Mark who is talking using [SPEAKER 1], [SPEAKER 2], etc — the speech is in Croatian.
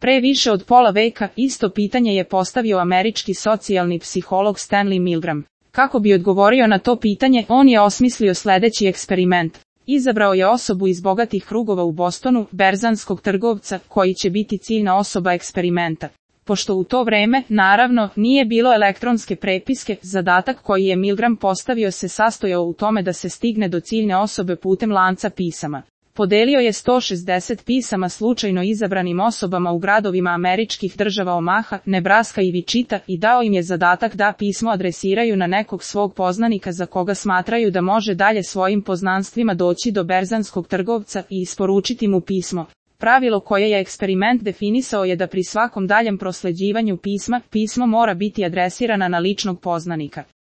[SPEAKER 1] Pre više od pola veka isto pitanje je postavio američki socijalni psiholog Stanley Milgram. Kako bi odgovorio na to pitanje, on je osmislio sledeći eksperiment. Izabrao je osobu iz bogatih krugova u Bostonu, berzanskog trgovca, koji će biti ciljna osoba eksperimenta. Pošto u to vreme, naravno, nije bilo elektronske prepiske, zadatak koji je Milgram postavio se sastojao u tome da se stigne do ciljne osobe putem lanca pisama. Podelio je 160 pisama slučajno izabranim osobama u gradovima američkih država Omaha, Nebraska i Wichita i dao im je zadatak da pismo adresiraju na nekog svog poznanika za koga smatraju da može dalje svojim poznanstvima doći do berzanskog trgovca i isporučiti mu pismo. Pravilo koje je eksperiment definisao je da pri svakom daljem prosleđivanju pisma, pismo mora biti adresirana na ličnog poznanika.